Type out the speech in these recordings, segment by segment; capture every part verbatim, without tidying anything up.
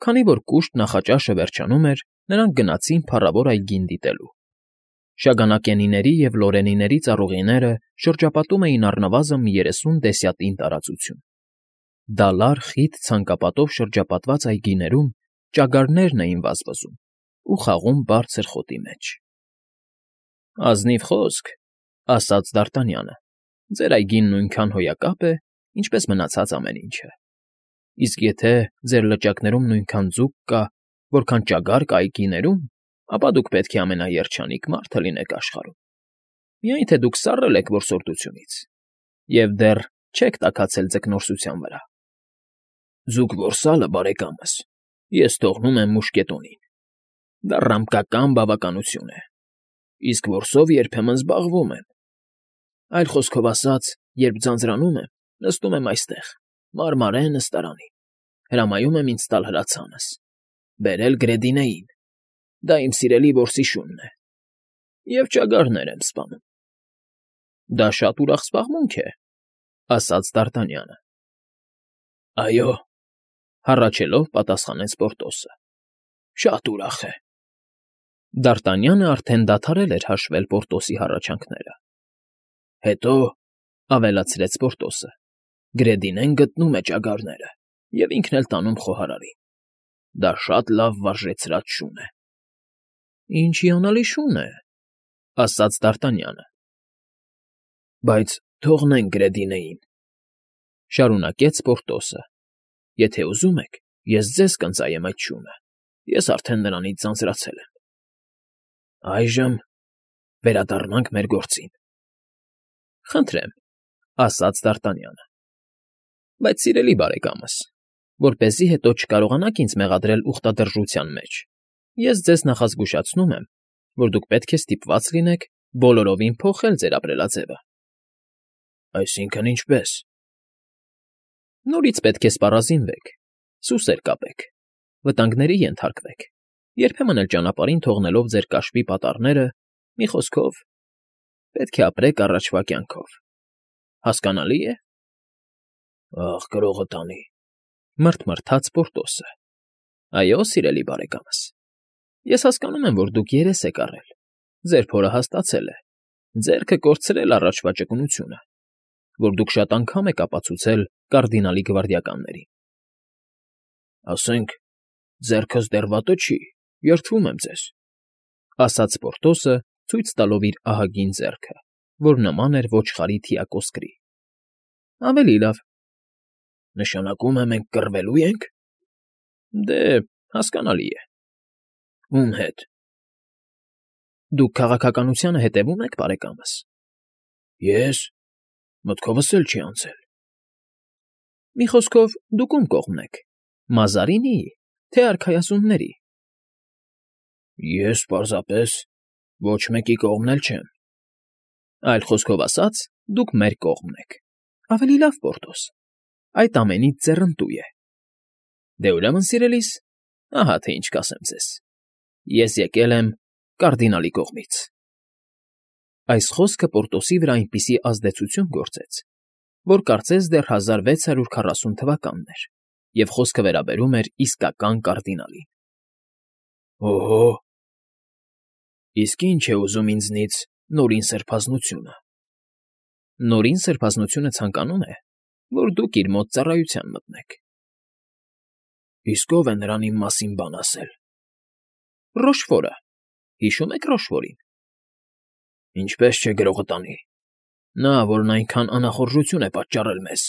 Քանի որ կուշտ նախաճաշը վերջանում էր, նրանք գնացին փառավոր այգին դիտելու։ Շագանակենիների և լորենիների ծառուղիները շրջապատում էին առնվազն մի երեսուն դեսյատին տարածություն։ Դալար, խիտ ցանկապատով շրջապատված այգիներում ճագարներն էին վազվզում ու խաղում բարձր խոտի մեջ։ ֊ Ազնիվ խոսք,֊ ասաց Դարտանյանը,֊ ձեր այգին նույնքան հոյակապ է, ինչպես մնացած ամեն ինչը։ Իսկ եթե ձեր լճակներում նույնքան ձուկ կա, որքան ճագար կա այգիներում, ապա դուք պետք է ամենաերջանիկ մարդը լինեք աշխարհում, միայն թե դուք սառել եք որսորդությունից և դեռ չեք տաքացել ձկնորսության վրա։ ֊ Ձուկ որսալը, բարեկամս, ես թողնում եմ մուշկետոնին. դա ռամկական բավականություն է, իսկ որսով երբեմն զբաղվում եմ։ Այլ խոսքով ասած, երբ ձանձրանում եմ, նստում եմ այստեղ, մարմարեն նստարանին, հրամայում եմ ինձ տալ հրացանս, բերել Գրեդինեին, դա իմ սիրելի որսի շունն է, և ճագարներ եմ սպանում։ ֊ Դա շատ ուրախ զբաղմունք է,֊ ասաց Դարտանյանը։ ֊ Այո,֊ հառաչելով պատասխանեց Պորտոսը,֊ շատ ուրախ է։ Դարտանյանը արդեն դադարել էր հաշվել Պորտոսի հառաչանքները։ ֊ Հետո,֊ ավելացրեց Պորտոսը,֊ Գրեդինեն գտնում է ճագարները և ինքն էլ տանում խոհարարին։ Դա շատ լավ վարժեցրած շուն է։ ֊ Ինչ հիանալի շուն է,֊ ասաց Դարտանյանը։ ֊ Բայց թողնենք Գրեդինեին,֊ շարունակեց Պորտոսը,֊ եթե ուզում եք, ես ձեզ կընծայեմ այդ շունը, ես արդեն նրանից ձանձրացել եմ։ Այժմ վերադառնանք մեր գործին։ ֊ Խնդրեմ,֊ ասաց Դարտանյանը։ ֊ Բայց, սիրելի բարեկամս, որպեսզի հետո չկարողանաք ինձ մեղադրել ուխտադրժության մեջ, ես ձեզ նախազգուշացնում եմ, որ դուք պետք է ստիպված լինեք բոլորովին փոխել ձեր ապրելաձևը։ ֊ Այսինքն՝ ինչպե՞ս։ ֊ Նորից պետք է սպառազինվեք, սուսեր կապեք, վտանգների ենթարկվեք, երբեմն էլ ճանապարհին թողնելով ձեր կաշվի պատառները, մի խոսքով, պետք է ապրեք առաջվա կյանքով։ Հասկանալի՞ է։ ֊ Ախ, գրողը տանի,֊ մռթմռթաց Պորտոսը։ ֊ Այո, սիրելի բարեկամս, ես հասկանում եմ, որ դուք երես եք առել, ձեր փորը հասկացել է, ձեռքը կորցրել առաջվա ճկունությունը, որ դուք շատ անգամ եք ապացուցել կարդինալի գվարդիականներին։ ֊ Ասենք, ձեռքս դեռ վատը չի, երդվում եմ ձեզ,֊ ասաց Պորտոսը, ցույց տալով իր ահագին ձեռքը, որ նման էր ոչխարի թիակոսկրի։ ֊ Ավելի լավ։ ֊ Նշանակում է մենք կռվելո՞ւ ենք։ ֊ Դե, հասկանալի է։ ֊ Ո՞ւմ հետ։ ֊ Դուք քաղաքականությանը հետևո՞ւմ եք, բարեկամս։ ֊ Ե՞ս, մտքովս էլ չի անցել։ ֊ Մի խոսքով, դուք ո՞ւմ կողմն եք՝ Մազարինի՞, թե արքայազունների։ ֊ Ես պարզապես ոչ մեկի կողմն էլ չեմ։ ֊ Այլ խոսքով ասած, դուք մեր կողմն եք։ Ավելի լավ, Պորտոս, այդ ամենից ձեռնտու է։ Դե, ուրեմն, սիրելիս, ահա թե ինչ կասեմ ձեզ. ես եկել եմ կարդինալի կողմից։ Այս խոսքը Պորտոսի վրա այնպիսի ազդեցություն գործեց, որ կարծես դեռ հազար վեց հարյուր քառասուն թվականն էր, և խոսքը վերաբերում էր իսկական կարդինալին։ ֊ Օհո՜, իսկ ի՞նչ է ուզում ինձնից Նորին Սրբազնությունը։ ֊ Նորին Սրբազնությունը ցանկանում է, որ դուք իր մոտ ծառայության մտնեք։ ֊ Իսկ ո՞վ է նրան իմ մասին բան ասել։ ֊ Ռոշֆորը. հիշո՞ւմ եք Ռոշֆորին։ ֊ Ինչպես չէ, գրողը տանի։ Նա, որն այնքան անախորժություն է պատճառել մեզ,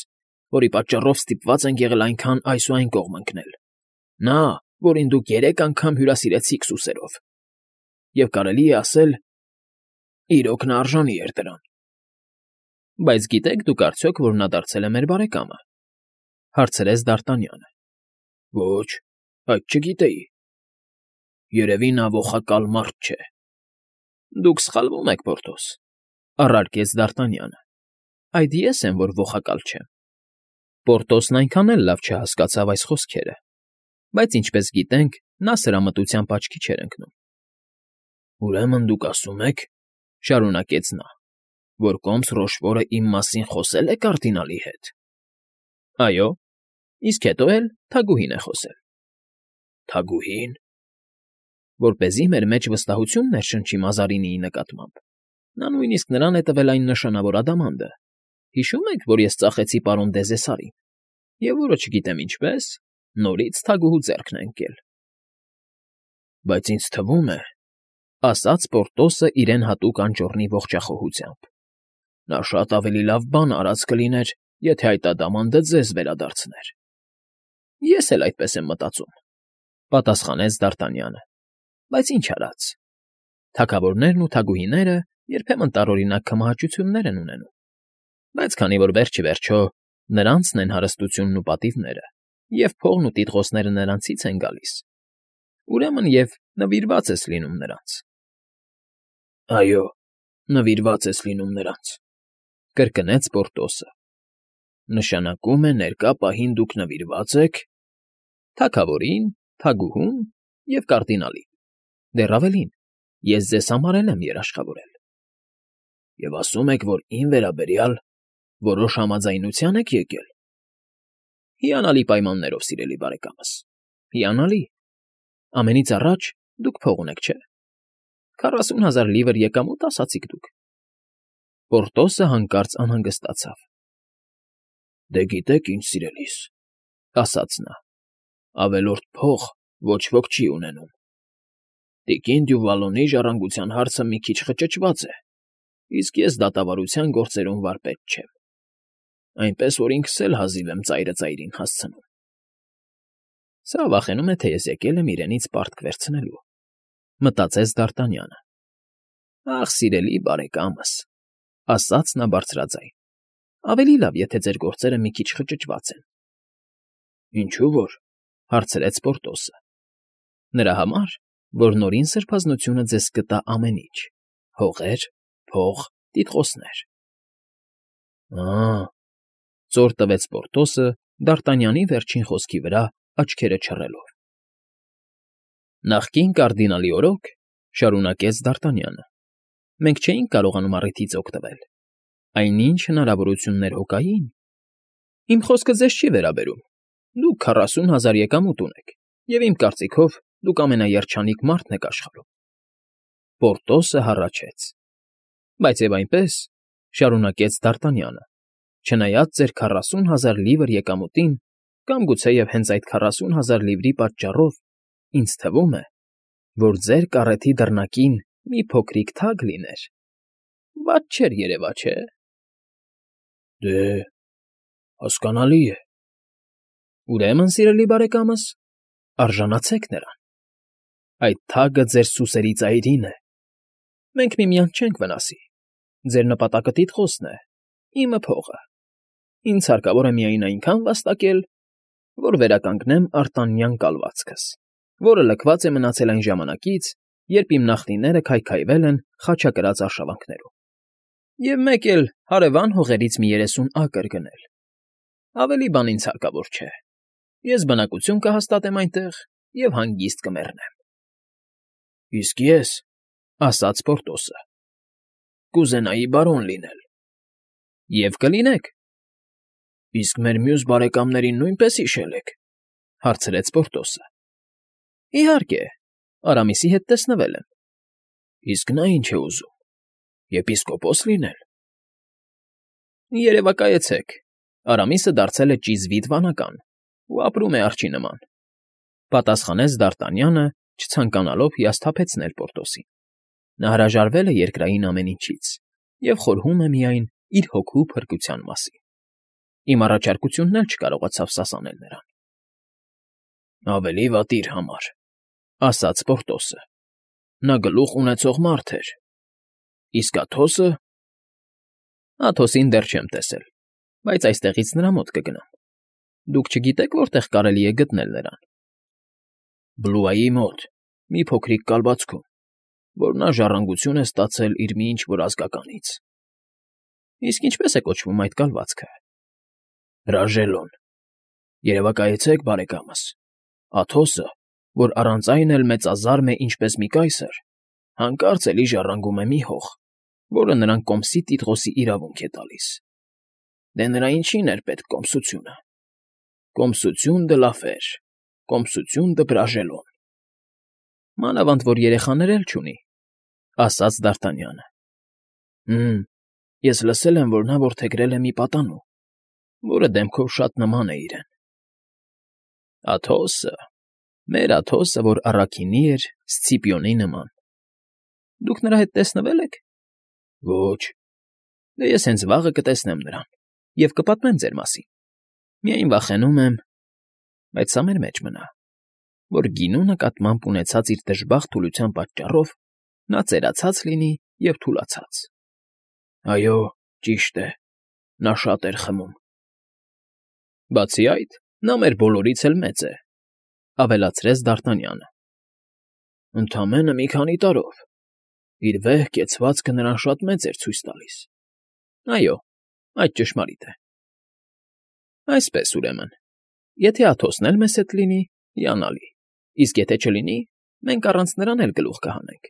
որի պատճառով ստիպված ենք եղել այնքան այս ու այն կողմ ընկնել, նա, որին դուք երեք անգամ հյուրասիրեցիք սուսերով, և կարելի է ասել, իրոք նա արժանի էր դրան։ ֊ Բայց գիտե՞ք դուք արդյոք, որ նա դարձել է մեր բարեկամը,֊ հարցրեց Դարտանյանը։ ֊ Ոչ, այդ չգիտեի։ ֊ Երևի նա ողակալ մարդ չէ։ ֊ Դուք սխալվում եք, Պորտոս,֊ առարկեց Դարտանյանը։ ֊ Այդ ես եմ, որ ողակալ չեմ։ Պորտոսն այնքան էլ լավ չհասկացավ այս խոսքերը, բայց, ինչպես գիտենք, նա սրամտությամբ աչքի չէր ընկնում։ ֊ Ուրեմն դուք ասում եք,֊ շարունակեց նա,֊ որ կոմս Ռոշֆորը իմ մասին խոսե՞լ է կարդինալի հետ։ ֊ Այո, իսկ հետո էլ թագուհին է խոսել։ Թագուհի՞ն։ Որպեսզի մեր մեջ վստահություն ներշնչի Մազարինիի նկատմամբ, նա նույնիսկ նրան է տվել այն նշանավոր ադամանդը. հիշո՞ւմ եք, որ ես ծախեցի պարոն Դեզեսարին, և որը, չգիտեմ ինչպես, նորից թագուհու ձեռքն է ընկել։ Բայց ինձ թվում է, ասաց Պորտոսը իրեն հատուկ անճոռնի ողջախոհությամբ. նա շատ ավելի լավ բան արած կլիներ, եթե այդ ադամանդը ձեզ վերադարձներ։ Ես էլ այդպես եմ մտածում, պատասխանեց Դ'Արտանյանը, բայց ինչ արած. թագավորներն ու թագուհիները երբեմն տարօրինակ քմահաճություններ են ունենում, բայց քանի որ վերջ ի վերջո նրանցն են հարստությունն ու պատիվները, և փողն ու տիտղոսները նրանցից են գալիս, ուրեմն և նվիրված ես լինում նրանց։ ֊ Այո, նվիրված ես լինում նրանց, ֊ կրկնեց Պորտոսը։ ֊ Նշանակում է ներկա պահին դուք նվիրված եք… թագավորին, թագուհուն և կարդինալին, դեռ ավելին, ես ձեզ համար էլ եմ երաշխավորել։ ֊ Եվ ասում եք, որ իմ վերաբերյալ որոշ համաձայնության եք եկել։ ֊ Հիանալի պայմաններով, սիրելի բարեկամս, հիանալի… Ամենից առաջ դուք փող ունեք, չէ՞։ Քառասուն հազար լիվր եկամուտ, ասացիք դուք… Պորտոսը հանկարծ անհանգստացավ։ ֊ Դե գիտեք ինչ, սիրելիս, ֊ ասաց նա, ֊ ավելորդ փող ոչ ոք չի ունենում։ Տիկին Դյուվալոնի ժառանգության հարցը մի քիչ խճճված է, իսկ ես դատավարության գործերում վարպետ չեմ, այնպես որ ինքս էլ հազիվ եմ ծայրը ծայրին հասցնում։ Սա վախենում է, թե ես եկել եմ իրենից պարտք վերցնելու, մտածեց Դ'Արտանյանը։ Ախ, սիրելի բարեկամս, ֊ ասաց նա բարձրաձայն, ֊ ավելի լավ, եթե ձեր գործերը մի քիչ խճճված են։ ֊ Ինչու որ, ֊ հարցրեց Պորտոսը։ ֊ Նրա համար, որ Նորին Սրբազնությունը ձեզ կտա ամեն ինչ՝ հողեր, փող, տիտղոսներ։ ֊ Ա՜, ֊ ծոր տվեց Պորտոսը Դ'Արտանյանի վերջին խոսքի վրա աչքերը չռելով։ ֊ Նախկին կարդինալի օրոք, ֊ շարունակեց Դ'Արտանյանը, ֊ մենք չէինք կարողանում առիթից օգտվել, այնինչ հնարավորություններ հո կային… Իմ խոսքը ձեզ չի վերաբերում, դուք քառասուն հազար եկամուտ ունեք, և իմ կարծիքով դուք ամենաերջանիկ մարդն եք աշխարհում… Պորտոսը հառաչեց։ ֊ Բայց և այնպես, ֊ շարունակեց Դ'Արտանյանը, ֊ չնայած ձեր քառասուն հազար լիվր եկամուտին, կամ գուցեև հենց այդ քառասուն հազար լիվրի պատճառով, ինձ թվում է, որ ձեր կառեթի դռնակին մի փոքրիկ թագ լիներ… Վատ չէր երևա, չէ՞։ ֊ Դե, հասկանալի է։ ֊ Ուրեմն, սիրելի բարեկամս, արժանացեք նրան… Այդ թագը ձեր սուսերի ծայրին է… Մենք միմյանց չենք վնասի… Ձեր նպատակը տիտղոսն է, իմը՝ փողը… Ինձ հարկավոր է միայն այնքան վաստակել, որ վերականգնեմ արտանյան կալվածքս, որը լքված է մնացել այն ժամանակից, երբ իմ նախնիները քայքայվել են խաչակրաց արշավանքներում, և մեկ էլ հարևան հողերից մի երեսուն ակր գնել… Ավելի բան ինձ հարկավոր չէ… Ես բնակություն կհաստատեմ այնտեղ և հանգիստ կմեռնեմ։ ֊ Իսկ ես, ֊ ասաց Պորտոսը, ֊ կուզենայի բարոն լինել։ ֊ Եվ կլինեք։ ֊ Իսկ մեր մյուս բարեկամներին նույնպես հիշել եք, ֊ հարցրեց Պորտոսը։ ֊ Իհարկե, Արամիսի հետ տեսնվել եմ։ ֊ Իսկ նա ինչ է ուզում, եպիսկոպոս լինե՞լ։ ֊ Երևակայեցեք, Արամիսը դարձել է ճիզվիտ վանական ու ապրում է արջի նման, ֊ պատասխանեց Դ'Արտանյանը, չցանկանալով հիասթափեցնել Պորտոսին. նա հրաժարվել է երկրային ամեն ինչից և խորհում է միայն իր հոգու փրկության մասին։ Իմ առաջարկությունն էլ չկարողացավ սասանել նրան։ ֊ Ավելի վատ իր համար, ֊ ասաց Պորտոսը։ ֊ Նա գլուխ ունեցող մարդ էր։ Իսկ Աթոսը… ֊ Աթոսին դեռ չեմ տեսել, բայց այստեղից նրա մոտ կգնամ։ Դուք չգիտե՞ք որտեղ կարելի է գտնել նրան։ ֊ Բլուայի մոտ, մի փոքրիկ կալվածքում, որ նա ժառանգություն է ստացել իր մի ինչ֊որ ազգականից։ ֊ Իսկ ինչպե՞ս է կոչվում այդ կալվածքը։ ֊ Հրաժելոն։ Երևակայեցեք, բարեկամս, Աթոսը, որ առանց այն էլ մեծազարմ է ինչպես մի կայսր, հանկարծ էլի ժառանգում է մի հող, որը նրան կոմսի տիտղոսի իրավունք է տալիս։ Դե նրա ինչի՞ն էր պետք կոմսությունը։ Կոմսություն դը լաֆեր։ կոմսություն դպրաժելոն։ Մանավանդ որ երեխաներ էլ չունի,֊ ասաց Դ'Արտանյանը։ Հը՛մ, ես լսել եմ, որ նա որդեգրել է մի պատանու, որը դեմքով շատ նման է իրեն։ Աթոսը, մեր Աթոսը, որ առաքինի էր Սցիպիոնի նման։ Դուք նրա հետ տեսնվե՞լ եք։ Ոչ։ Դե ես հենց վաղը կտեսնեմ նրան և կպատմեմ ձեր մասին։ Միայն վախենում եմ, բայց սա մեր մեջ մնա, որ գինու նկատմամբ ունեցած իր դժբախտ թուլության պատճառով նա ծերացած լինի և թուլացած։ Այո, ճիշտ է, նա շատ էր խմում։ Բացի այդ, նա մեր բոլորից էլ մեծ է,֊ ավելացրեց Դ'Արտանյանը։ Ընդամենը մի քանի տարով։ Իր վեհ կեցվածքը նրան շատ մեծ էր ցույց տալիս։ Այո, այդ ճշմարիտ է։ Այսպես, ուրեմն, եթե Աթոսն էլ մեզ հետ լինի, հիանալի, իսկ եթե չլինի, մենք առանց նրան էլ գլուխ կհանենք։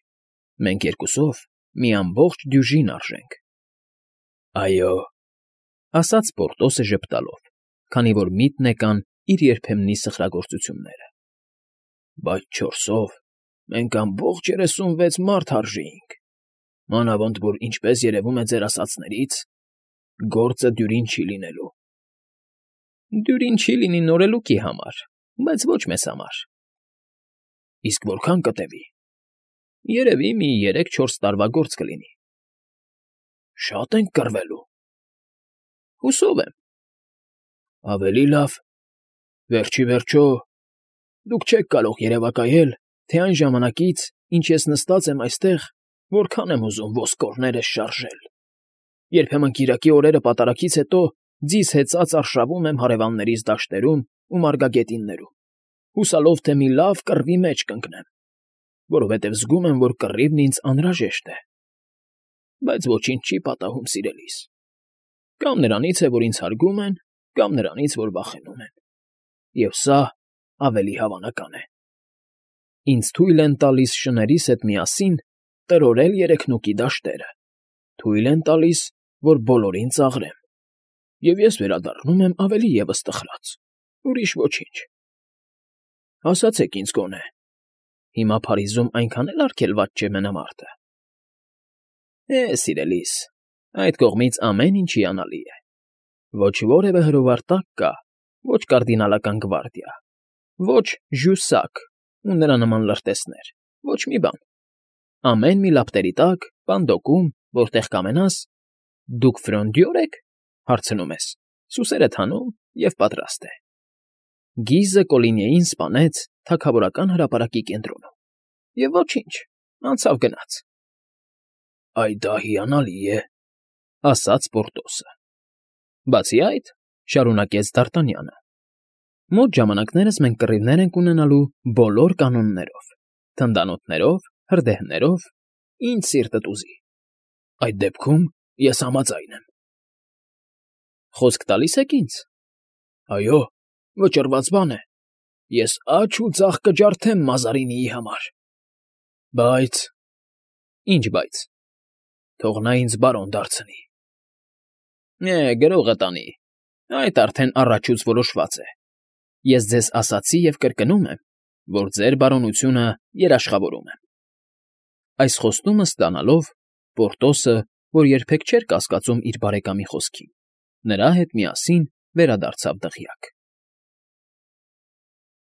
Մենք երկուսով մի ամբողջ դյուժին արժենք։ Այո,֊ ասաց Պորտոսը ժպտալով, քանի որ միտն եկան իր երբեմնի սխրագործությունները։ Բայց չորսով մենք ամբողջ երեսունվեց մարդ արժեինք, մանավանդ որ, ինչպես երևում է ձեր ասածներից, գործը դյուրին չի լինելու։ Դյուրին չի լինի նորելուկի համար, բայց ոչ մեզ համար։ Իսկ որքան կտևի։ Երևի մի երեք֊չորս տարվա գործ կլինի։ Շատ ենք կռվելու։ Հուսով եմ։ Ավելի լավ։ Վերջի վերջո, դուք չեք կարող երևակայել, թե այն ժամանակից, ինչ ես նստած եմ այստեղ, որքան եմ ուզում ոսկորներս շարժել։ Երբեմն կիրակի օրերը պատարագից հետո ձիզ հեծած արշավում եմ հարևաններիս դաշտերում ու մարգագետիններում, հուսալով, թե մի լավ կռվի մեջ կընկնեմ, որովհետև զգում եմ, որ կռիվն ինձ անհրաժեշտ է։ Բայց ոչինչ չի պատահում, սիրելիս։ Կամ նրանից է, որ ինձ հարգում են, կամ նրանից, որ վախենում են։ Եվ սա ավելի հավանական է։ Ինձ թույլ են տալիս շներիս հետ միասին տրորել երեքնուկի դաշտերը, թույլ են տալիս, որ բոլորին ծաղրեմ, և ես վերադառնում եմ ավելի ևս տխրած, ուրիշ ոչինչ։ Ասացեք ինձ գոնե, հիմա Փարիզում այնքան էլ արգելված չէ մենամարտը։ Է, սիրելիս, այդ կողմից ամեն ինչ հիանալի է։ Ոչ որևէ հրովարտակ կա, ոչ կարդինալական գվարդիա, ոչ Ժյուսակ ու նրա նման լրտեսներ, ոչ մի բան։ Ամեն մի լապտերի տակ, պանդոկում, որտեղ կամենաս, դուք Ֆրոնդյո՞ր եք, հարցնում ես, սուսերդ հանում և պատրաստ է։ Գիզը Կոլինիեին սպանեց թագավորական հրապարակի կենտրոնում, և ոչինչ, անցավ գնաց։ Այ դա հիանալի է,֊ ասաց Պորտոսը։ Բացի այդ, շարունակեց Դ'Արտանյանը, մոտ ժամանակներս մենք կռիվներ ենք ունենալու բոլոր կանոններով, թնդանոթներով, հրդեհներով, ինչ սիրտդ ուզի։ Այդ դեպքում ես համաձայն եմ։ Խոսք տալի՞ս եք ինձ։ Այո, վճռված բան է։ Ես աջ ու ձախ կջարդեմ Մազարինիի համար։ Բայց… Ինչ բայց։ Թող նա ինձ բարոն դարձնի։ Է, գրողը տանի, այդ արդեն առաջուց որոշված է։ Ես ձեզ ասացի և կրկնում եմ, որ ձեր բարոնությունը երաշխավորում եմ։ Այս խոստումը ստանալով, Պորտոսը, որ երբեք չէր կասկածում իր բարեկամի խոսքին, նրա հետ միասին վերադարձավ դղյակ։